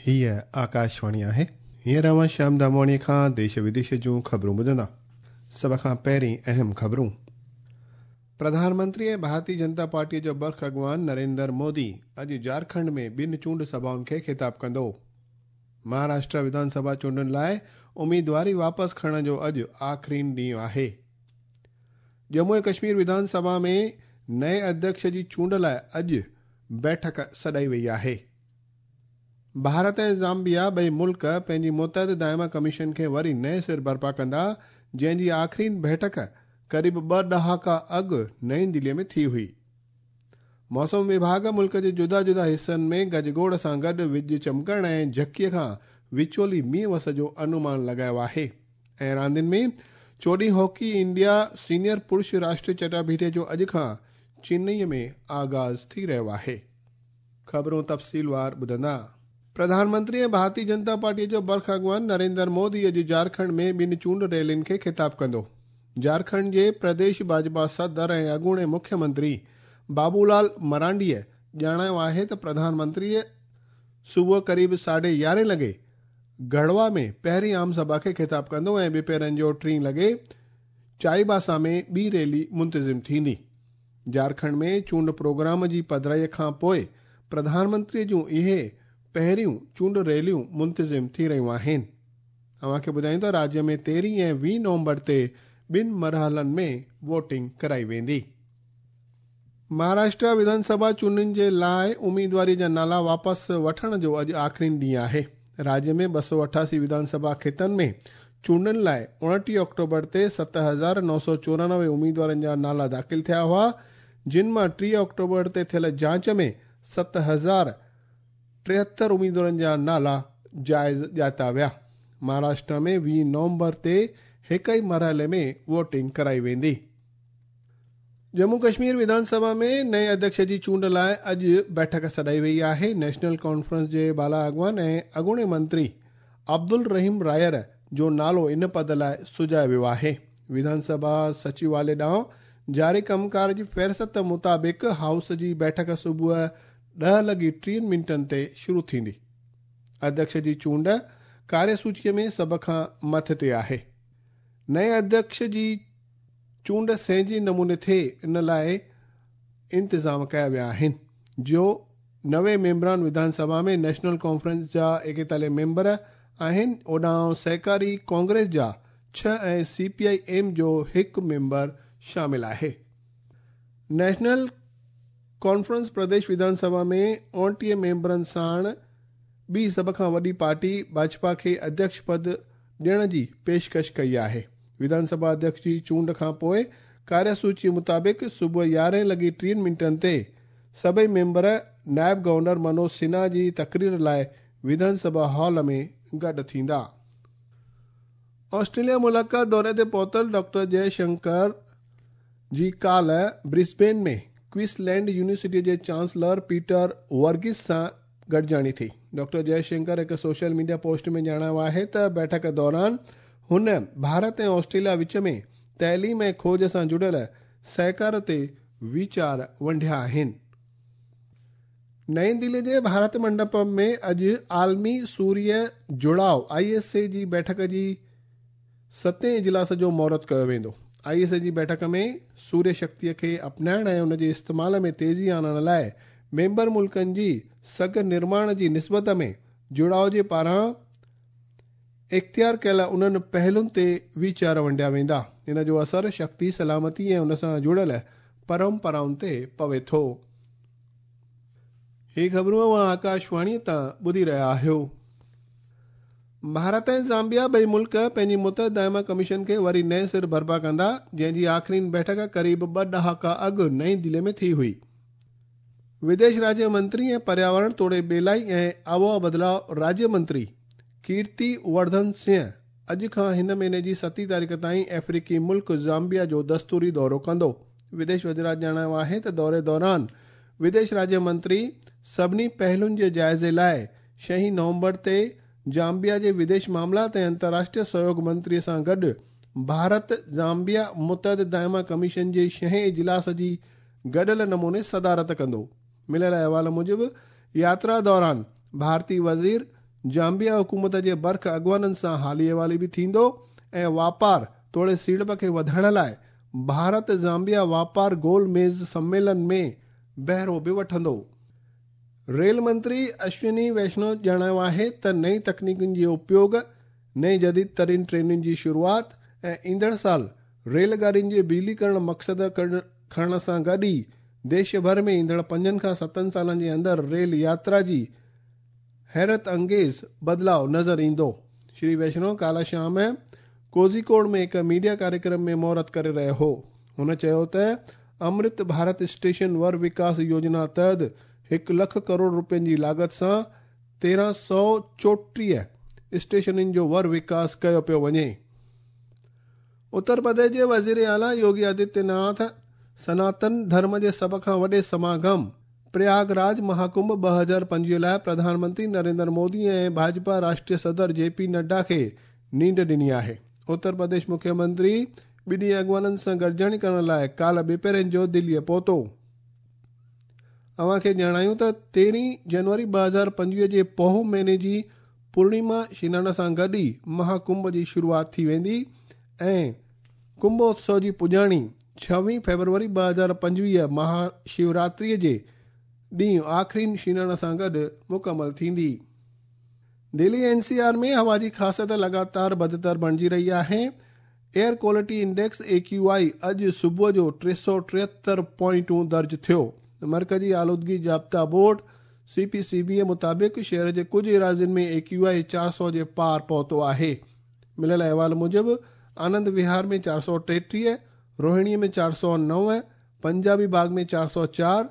هيء آڪاشواڻي آهي. هينئر اوهان شيام دامواڻيء کان ديش وديش جون خبرون ٻڌندا. سڀ کان پهرين اهم خبرون. پرڌان منتري ۽ ڀارتي جنتا پارٽيء جو برک اڳواڻ نريندر مودي اڄ جارکنڊ ۾ ٻن چونڊ سڀائن کي خطاب ڪندو. مهاراشٽرا وڌان سڀا چونڊن لاء اميدواري واپس کڻڻ جو اڄ آخرين ڏينهن آهي. ڄمون ۽ ڪشمير وڌان سڀا ۾ نئين اڌيڪش جي چونڊ لاء اڄ بيٺڪ سڏائي وئي آهي. ڀارت ۽ زامبيا ٻئي ملڪ پنهنجي متحده دائما ڪميشن کي وري نئين سر برپا ڪندا، جنهن جي آخرين بيٺڪ قريب ٻه ڏهاڪا اڳ نئين دلي ۾ ٿي هئي. موسم وڀاڳ ملڪ جي جدا جدا حصن ۾ گجگوڙ سان گڏ وڄ چمڪڻ ۽ جهڪي کان وچولي مينهن وس جو انومان لڳايو آهي ۽ راندين ۾ چوڏهين هاڪي انڊيا سينيئر پرش راشٽري چٽاڀيٽي جو اڄ کان چنئي ۾ آغاز ٿي رهيو آهي. خبرون تفصيلوار ٻڌندا. پرڌان منتري ۽ ڀارتي جنتا پارٽيء جو برک اڳواڻ نريندر مودي اڄ جارکنڊ ۾ ٻن چونڊ ريلين کي خطاب ڪندو. جارکنڊ جي پرديش ڀاجپا صدر ۽ اڳوڻي مکيه منتري بابولال مرانڊيء ڄاڻايو آهي ته پرڌان منتريء صبح قريب ساڍي يارهين لڳي گڙوا ۾ پهرين عام سڀا کي خطاب ڪندو ۽ ٻپهرن جو ٽين لڳي چائيباسا ۾ ٻي ريلي منتظم ٿيندي. جارکنڊ ۾ چونڊ پروگرام جي پڌرائيء کان پوء پرڌان منتريء جون اهي پهريون چونڊ ريليون منتظم ٿي رهيون آهن. اوهان کي ٻڌايون ته راجيه ۾ تيرهين ۽ ويهه نومبر تي ٻن مرحلن ۾ ووٽنگ ڪرائي ويندي. مهاراشٽرا وڌان سڀا چونڊن جي لاء اميدواري جا نالا واپس وٺڻ جو اڄ آخرين ڏينهن آهي. راجيه ۾ 288 وڌان سڀا کيتن ۾ چونڊن لاء 29 آڪٽوبر تي 7994 اميدوارن جا نالا داخل ٿيا هئا، جن مان 30 آڪٽوبر تي ٿيل جاچ ۾ 7073 اميدوارن جا نالا جائز ڄاتا ويا. مهاراشٽرا ۾ 20 نومبر تي هڪ ئي مرحلي ۾ ووٽنگ ڪرائي ويندي. ڄمون ڪشمير وڌان سڀا ۾ نئين اڌيڪش جي چونڊ لاء اڄ بيٺڪ سڏائي وئي آهي. نيشنل ڪانفرنس جي بالا اڳواڻ ۽ اڳوڻي منتري عبدالرحيم رائر جو نالو ان پد لاء سجهايو ويو آهي. وڌان سڀا سچوالي ڏانهن جاري ڪم ڪار جي فهرست مطابق هائوس جي بيٺڪ صبح 10:30 تي شروع ٿيندي. اڌيڪش جي چونڊ ڪاريه سوچيء ۾ سڀ کان مٿي تي آهي. نئين اڌيڪش جي چونڊ سهنجي نموني ٿئي ان لاء انتظام ڪيا ويا آهن. جو 90 ميمبران وڌان سڀا ۾ نيشنل ڪانفرنس جا 41 ميمبر آهن، اوڏانهن سهڪاري ڪانگريس جا 6 ۽ سي پي I M جو هڪ ميمبر شامل آهي. نيشنل ڪانفرنس پرديش وڌان سڀا ۾ 29 ميمبرن ساڻ ٻي سڀ کان وڏي پارٽي ڀاجپا کي اڌيڪش پد ڏيڻ جي پيشڪش ڪئي آهي. وڌان سڀا اڌيڪش جي چونڊ کان پوء ڪاريه سوچي مطابق صبح 11:30 تي سڀئي ميمبر نائب گورنر منوج سنها جي تقرير لاء وڌان سڀا هال ۾ گڏ ٿيندا. آسٽريليا ملاقات دوري تي پهتل ڊاڪٽر جئي شنڪر جي ڪالهه برسبين ۾ ڪوئنسلينڊ يونيورسٽيء جي چانسلر پيٽر ورگيس سان گڏجاڻي ٿي. ڊاڪٽر جئي شنڪر هڪ سوشل ميڊيا پوسٽ ۾ ڄاڻايو آهي ته بيٺڪ دوران هن ڀارت ۽ آسٽريليا وچ ۾ تعليم ۽ کوج سان جڙيل سهڪار تي ويچار ونڊيا آهن. نئين دلي جي ڀارت منڊپم ۾ اڄ عالمي سوريه جڙاء I S اي جي بيٺڪ جي ستين اجلاس جو مهورت ڪيو ويندو. I S اي جي بيٺڪ ۾ سوريه شڪتيء کي اپنائڻ ۽ ان جي استعمال ۾ تيزي آڻڻ لاء ميمبر ملڪن جي سگهه نرماڻ جي نسبت ۾ جڙاء جي پاران اختيار ڪيل انهن پهلن تي ويچار ونڊيا ويندا. ان جو اثر شڪتي، سلامتي ۽ ان سان جڙيل پرمپرائن تي پوي ٿو. هي خبرون اوهان آڪاشواڻيء تان ٻڌي رهيا آهيو. ڀارت ۽ زامبيا ٻئي ملڪ پنهنجي متحده دائما ڪميشن کي وري نئين سر برپا ڪندا، جنهن جي آخرين بيٺڪ قريب ٻه ڏهاڪا اڳ نئين دلي ۾ ٿي هئي. وديش راجيه منتري ۽ پرياورڻ توڙي ٻيلائي ۽ آبهوا بدلاء راجيه منتري ڪيرتي ورڌن سنگهه اڄ کان هن مهيني جي ستين تاريخ تائين آفريقي ملڪ زامبيا جو دستوري دورو ڪندو. وديش وزارت ڄاڻايو آهي ته دوري دوران وديش راجيه منتري سڀني پهلن جي جائزي لاء ڇهين نومبر تي زامبيا جي وديش معاملات ۽ انترراشٽريه سهيوگ منتري سان گڏ ڀارت زامبيا متحده دائما ڪميشن جي ڇهين اجلاس جي گڏيل نموني صدارت ڪندو. مليل احوال موجب ياترا دوران ڀارتي وزير زامبيا حڪومت جي برک اڳواڻن سان حالي احوالي به ٿيندو ۽ واپار توڙي سيڙپ کي وڌائڻ لاءِ ڀارت زامبيا واپار گول ميز سميلن ۾ بهرو به وٺندو. ريل منتري اشوني ويشنو ڄاڻايو آهي ته نئين تڪنيڪن جي اپيوگ، نئين جديد ترين ٽرينن جي شروعات ۽ ايندڙ سال ريل گاڏين جي بجليڪرڻ مقصد کڻڻ سان گڏ ئي ديش ڀر ۾ ايندڙ 5 کان 7 سالن جي اندر ريل ياترا جي حيرت انگيز بدلاءُ نظر ايندو. شري ويشنو ڪالهه شام ڪوزيڪوڊ ۾ هڪ ميڊيا ڪاريڪرم ۾ مهورت ڪري رهيو هو. هن چيو ته امرت ڀارت اسٽيشن ور وڪاس يوجنا تحت 1 لک ڪروڙ روپين جي لاڳت سان 1334 اسٽيشنن جو ور وڪاس ڪيو پيو وڃي. اتر پرديش جي وزير اعليٰ يوگي آدتيه ناٿ سناتن ڌرم جي سڀ کان وڏي سماگم پرياگ راج مهاڪنڀ 2025 لاءِ پرڌان منتري نريندر مودي ۽ ڀاجپا راشٽريه صدر جي پي نڊا کي نينڍ ڏني آهي. اتر پرديش مکيه منتري ٻنهي اڳواڻن سان گڏجاڻي ڪرڻ لاءِ ڪالهه ٻپهرن جو دليءَ پهتو. اوهان کي ڄاڻايون ته 13 جنوري 2025 جي پوهه مهيني جي پورڻما سنان سان گڏ ئي مهاڪنڀ جي شروعات ٿي ويندي ۽ ڪنڀ اتسو جي پڄاڻي 26 فيبروري 2025 مها شوراتريءَ جي ڏينهن آخرين سنان سان گڏ مڪمل ٿيندي. دلي اين سي آر ۾ هوا جي خاصيت لڳاتار بدتر بڻجي رهي آهي. Air quality index A Q I اڄ صبح جو 373 پوائنٽون درج ٿيو. مرڪزي آلودگي ضابطا board C P C B مطابق شهر جي ڪجهه ايراضين ۾ اي ڪيو آء 400 جي پار پهتو آهي. مليل احوال موجب آنند وهار ۾ 433، روهڻي ۾ 409، پنجابي باغ ۾ 404،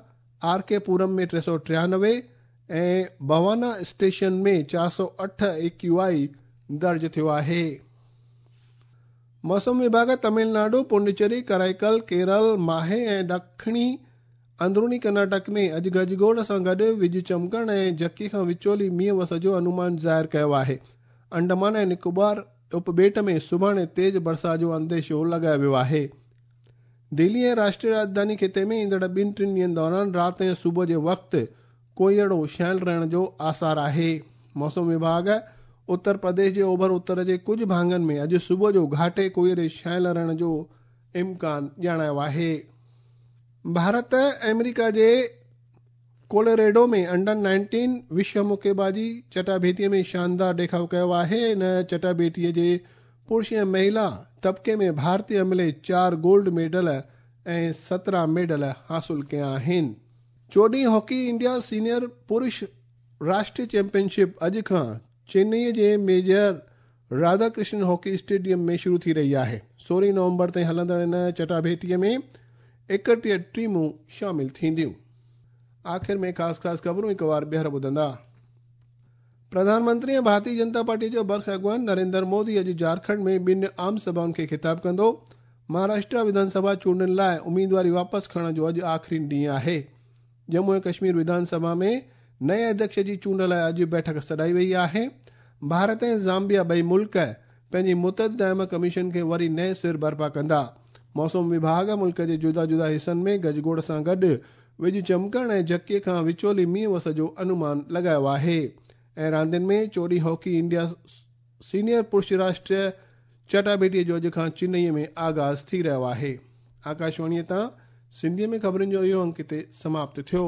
آر ڪي پورم ۾ 393 ۽ بوانا اسٽيشن ۾ 408 اي ڪيو آء درج ٿيو آهي. موسم وڀاڳ تامل ناڊو، پونڊيچيري، ڪرائيڪل، ڪيرل، ماهي ۽ ڏکڻي اندروني ڪرناٽڪ ۾ اڄ گجگوڙ سان گڏ وڄ چمڪڻ ۽ جهڪي کان وچولي مينهن وس جو انومان ظاهر ڪيو آهي. انڊمان ۽ نڪوبار اپٻيٽ ۾ سڀاڻي تيز برسات جو انديشو لڳايو ويو آهي. دلي ۽ راشٽريه راڄڌاني خطي ۾ ايندڙ 2-3 ڏينهن دوران رات ۽ صبح جي وقت ڪوهيڙو ڇانيل رهڻ جو آثار آهي. موسم وڀاڳ اتر پرديش جي اوڀر اتر جي ڪجهه ڀاڱن ۾ اڄ صبح جو گهاٽي ڪوهيڙي ڇانيل رهڻ جو امڪان ڄاڻايو آهي. ڀارت آمريڪا جي ڪولوريڊو ۾ انڊر 19 وشو مڪيبازي چٽاڀيٽيءَ ۾ شاندار ڏيکاءُ ڪيو آهي. ان چٽاڀيٽيءَ جي پرش ۽ مهلا طبقي ۾ ڀارتي عملي 4 گولڊ ميڊل ۽ 17 ميڊل حاصل ڪيا آهن. 14 هاڪي انڊيا سينيئر پرش راشٽريه چيمپئن شپ اڄ کان چنئي جي major Radha Krishnan hockey stadium ۾ شروع ٿي رهي آهي. 16 نومبر تائين هلندڙ ان چٽاڀيٽيءَ ۾ 31 ٽيمون شامل ٿينديون. آخر ۾ خاص خاص خبرون هڪ وار ٻيهر ٻڌندا. پرڌان منتري ۽ ڀارتيه جنتا پارٽي جو برک اڳواڻ نريندر مودي اڄ جهارکنڊ ۾ 2 عام سڀائن کي خطاب ڪندو. مهاراشٽر وڌان سڀا چونڊن لاءِ اميدواري واپس کڻڻ جو اڄ آخرين ڏينهن آهي. ڄمون ۽ ڪشمير وڌان سڀا ۾ نئين اڌيڪش جي چونڊ لاءِ اڄ بيٺڪ سڏائي وئي آهي. ڀارت ۽ زامبيا ٻئي ملڪ پنهنجي متحده دائما ڪميشن کي وري نئين سر برپا ڪندا. موسم وڀاڳ ملڪ جي جدا جدا حصن ۾ گجگوڙ سان گڏ وڄ چمڪڻ ۽ جهڪي کان وچولي مينهن وس جو انومان لڳايو آهي. ۽ راندين ۾ 14 هاڪي انڊيا سينيئر پرش راشٽريه چٽاڀيٽيءَ جو اڄ کان چنئي ۾ آغاز ٿي رهيو آهي. آڪاشواڻيءَ تان سنڌيءَ ۾ خبرن جو اهو انڪ هتي سماپت ٿيو.